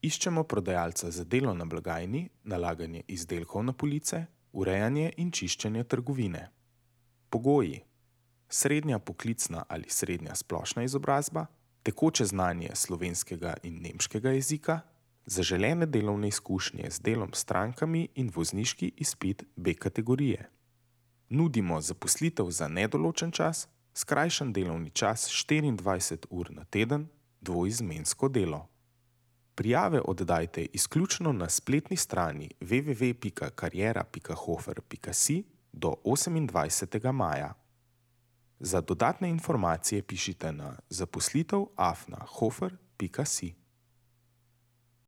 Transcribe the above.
Iščemo prodajalca za delo na blagajni, nalaganje izdelkov na police, urejanje in čiščenje trgovine. Pogoji: srednja poklicna ali srednja splošna izobrazba, tekoče znanje slovenskega in nemškega jezika, zaželene delovne izkušnje z delom s strankami in vozniški izpit B kategorije. Nudimo zaposlitev za nedoločen čas, skrajšan delovni čas 24 ur na teden, dvoizmensko delo. Prijave oddajte izključno na spletni strani www.kariera.hofer.si do 28. maja. Za dodatne informacije pišite na zaposlitev@hofer.si.